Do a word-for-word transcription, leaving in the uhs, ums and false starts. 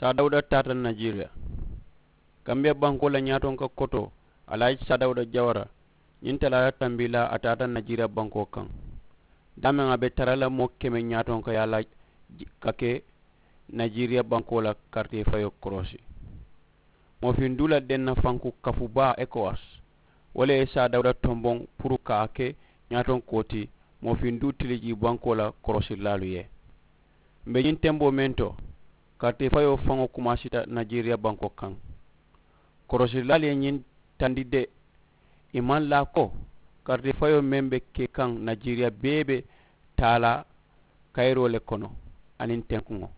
Saa dawuda taata najeriya. Kambiya bankoo la ñaatonka kotoo, alaaji saa dawuda jawara, ñiŋ talaata tambilaa a taata najeriya bankoo kaŋ. Daameŋ a be tara la moo keme ñaatonka yaa la ka ke najeriya bankoo la karitee fayoo koroosi. Moofiŋ duu la denna fanku kafu baa ekowas, wo le ye saa dawuda tomboŋ puru ka a ke ñaatonkoo ti moofiŋ duu tiliji bankoo la koroosilaalu ye. Mbe ñiŋ temboo meŋ to, karitee fayoo faŋo kumaasita najeriya bankoo kaŋ. Koroosilaalu ye ñiŋ tandi de, i maŋ laa ko karitee fayoo meŋ be ke kaŋ najeriya bee be taa la kayiroo le kono aniŋ tenkuŋo.